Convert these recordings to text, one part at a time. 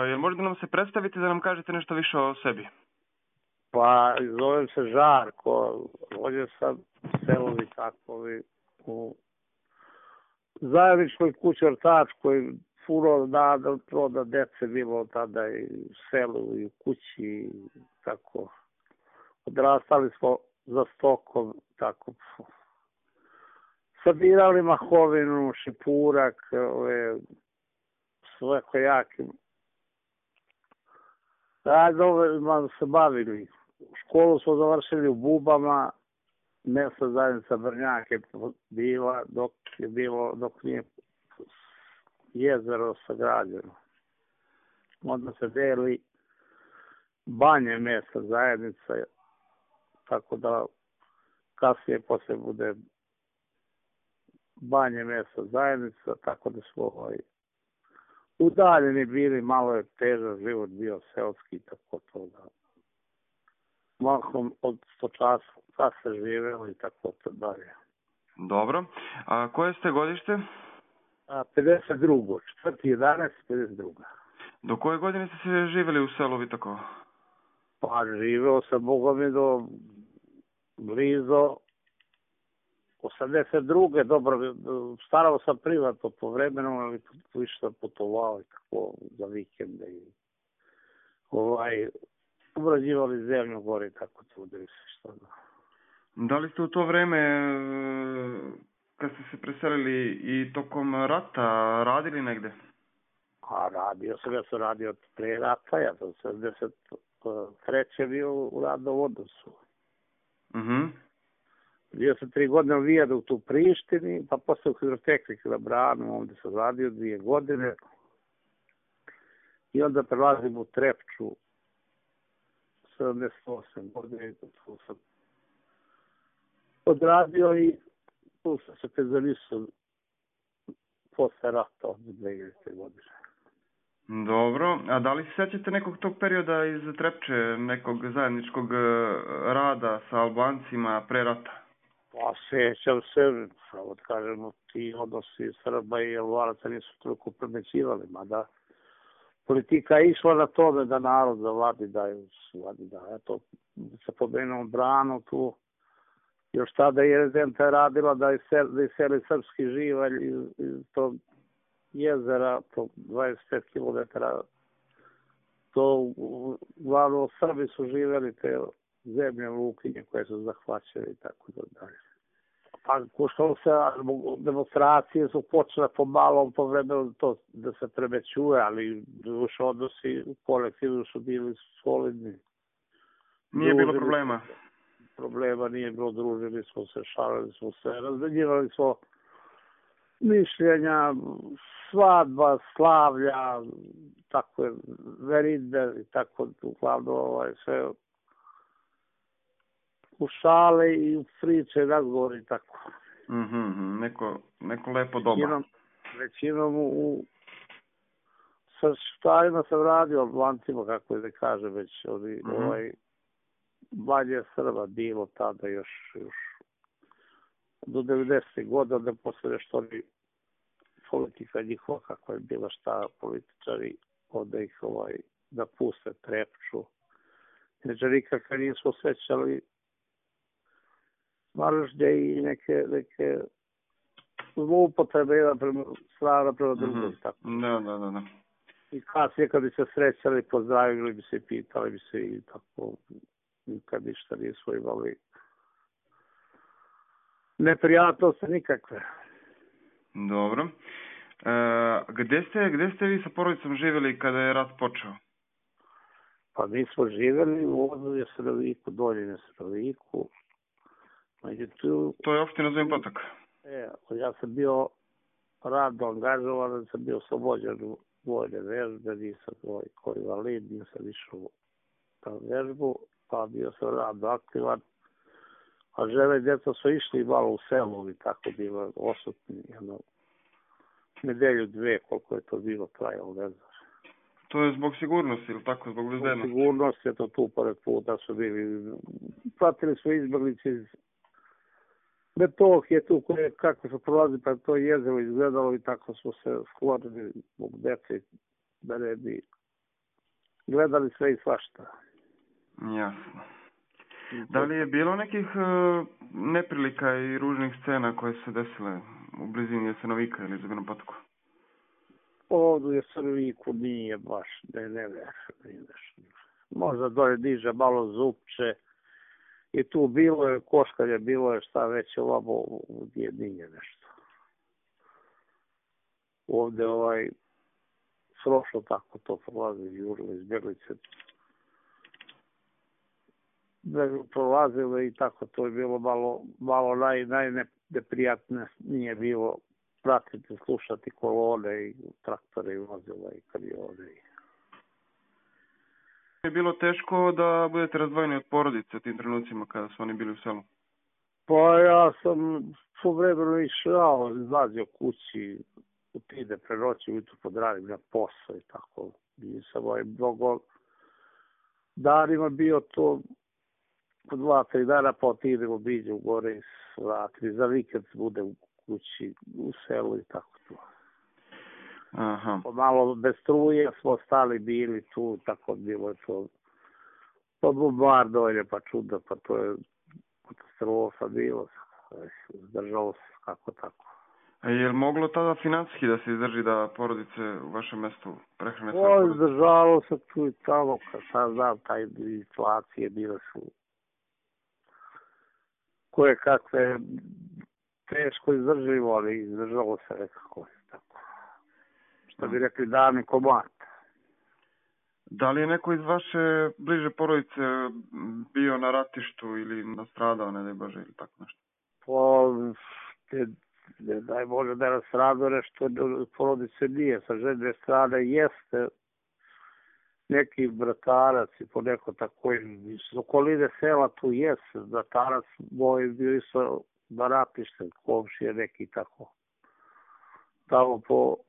Jel možete nam se predstaviti da nam kažete nešto više o sebi? Pa, zovem se Žarko, rođen sam u Selovi takovi, u zajedničkoj kući ortačkoj, puno da dece bilo tada i u selu i u kući, tako. Odrastali smo za stokom, tako. Sabirali mahovinu, šipurak, sve kojaki. Radovima se bavili. Školu smo završili u Bubama, mesna zajednica Brnjak je bila dok nije jezero sagrađeno. Onda se deli Banje mesna zajednica, tako da kasnije posle bude Banje mesna zajednica, tako da smo udaljeni bili, malo je težak život bio seoski, tako to da mahom od 100 časa živelo i tako to dalje. Dobro. A koje ste godište? 52. 4.11.52. Do koje godine ste se živjeli u selu Vitakovo? Pa živeo sam, Boga mi, do blizo 82. Dobro, starao sam privatno po vremenu, ali više sam putovao i tako za vikende i obrađivali zemlju gore i tako trudili se što da. Da li ste u to vreme, kad ste se preselili i tokom rata, radili negde? A ja sam radio pre rata, ja sam 73. bio u radnom odnosu. Bio sam 3 godine u Vijaduktu u Prištini, pa posle u Hidrotehniku na Branu, ovdje sam radio 2 godine. I onda prelazim u Trepču, 78 godine, tu sam odradio i tu sam se penzionisao posle rata od 2000. godine. Dobro, a da li se sećate nekog tog perioda iz Trepče, nekog zajedničkog rada sa Albancima pre rata? Pa sećam se, samo da kažemo, ti odnosi Srba i Albanaca nisu toliko premećivali, mada politika je išla na tome da narod zavadi, eto, se pomenuo Branu tu, još tada je rezidenta radila da iseli srpski živalj iz tog jezera, to 25 km, to uglavnom Srbi su živjeli te zemlje Lukinje koje su zahvaćene i tako dalje. Pa što se demonstracije su počele pomalo po vremenu to da se premećuje, ali duše odnosi u kolektivu su bili solidni. Nije bilo problema? Problema nije bilo, družili smo se, šalili smo se, razmenjivali smo mišljenja, svadba, slavlja, tako je, veridbe i tako, uglavnom sve u šale i u priče, razgovori i tako. Neko lepo doba. Većinom sa štarima sam radio, Albancima, kako je da kaže, već Banje Srba bilo tada još do 90. godina, da posle nešto politika njihova, kako je bila šta političari, onda ih da puste Trepču. Neđe nikakve nismo osjećali mržnje i neke zloupotrebe jedan strana prema drugom. Da. I kasnije kad bi se srećali, pozdravili bi se i pitali bi se i tako, nikad ništa nismo imali neprijatnosti nikakve. Dobro. Gde ste vi sa porodicom živjeli kada je rat počeo? Pa mi smo živjeli u Odolje Sreliku, Dolje Sreliku. To je opština Zubin Potok. Ja sam bio radno angažovan, sam bio oslobođen u vojne vežbe, nisam koji invalid, nisam išao na vežbu, pa bio sam radno aktivan. A žene i djeca su išli malo u selu i tako bilo osutni, nedelju, 2, koliko je to bilo trajalo, ne znaš. To je zbog sigurnosti ili tako, zbog bezbednosti? Zbog sigurnosti je to tu pored puta su bili. Pratili smo izbjeglice iz Metohije tu koje kako su prolazi pa to jezero izgledalo i tako smo se sklonili zbog dece da ne bi gledali sve i svašta. Jasno. Da li je bilo nekih neprilika i ružnih scena koje su se desile u blizini Jesenovika ili Zubinom Potoku? Ovdje u Jeseroviku nije baš, ne možda dole diže malo zupče i tu bilo je koškalje, bilo je šta već ovamo u Djedinje nešto. Ovdje srošlo tako to prolazi jurilo iz Bjeglice. Prolazilo i tako to je bilo malo najneprijatnije nije bilo pratiti, slušati kolone i traktore i vozila i kamione. Je bilo teško da budete razdvojeni od porodice u tim trenucima kada su oni bili u selu? Pa ja sam svojevremeno išao, izlazio kući, utide pre noći, ujutru podradim na posao i tako. Nisam mnogo danima bio to po 2-3 dana, pa otidemo biđe u gore i svratili. Za vikend bude u kući, u selu i tako to. Aha. Malo bez struje smo stali bili tu, tako bilo je to. Pa bombardovanje, pa čudo, pa to je katastrofa bilo. Zdržalo se kako tako. A je li moglo tada financijski da se izdrži da porodice u vašem mestu prehrane svoje porodice? Izdržalo se tu i tamo, kad sad znam, taj inflacije bile su koje kakve teško izdrživo, ali izdržalo se nekako tako. Što bi rekli dani komad. Da li je neko iz vaše bliže porodice bio na ratištu ili nastradao, ne daj Bože, ili tako nešto? Ne daj Bože da je nastradao nešto, porodice nije. Sa žene strane jeste neki bratarac i po neko tako iz okoline sela tu jeste. Bratarac moj bio isto na ratište, komšije neki tako. Tamo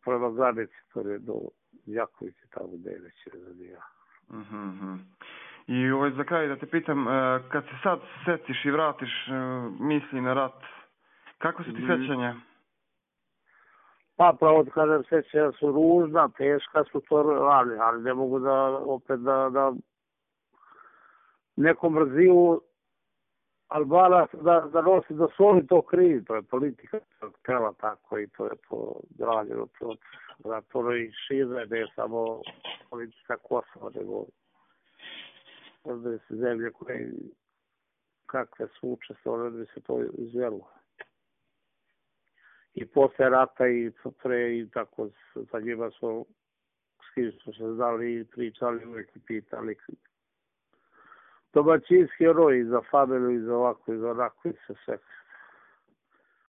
prema granici, to je do Jakovice, tamo gde je već razadija. I za kraj da te pitam, kad se sad setiš i vratiš misli na rat, kako su ti sećanja? Pa pravo da kažem, sećanja su ružna, teška su to radi, ali ne mogu da opet da nekom mrziju Albanac da nosi, da su oni to krivi, to je politika htjela tako i to je to građeno to i šire, ne je samo politika Kosova, nego ovdje se zemlje koje kakve su učestvovali, da bi se to izvelo. I posle rata i pre i tako sa njima smo s kim smo se znali i pričali, uvijek i pitali. Domaćinski roj i za familiju i za ovako i za onako i za sve.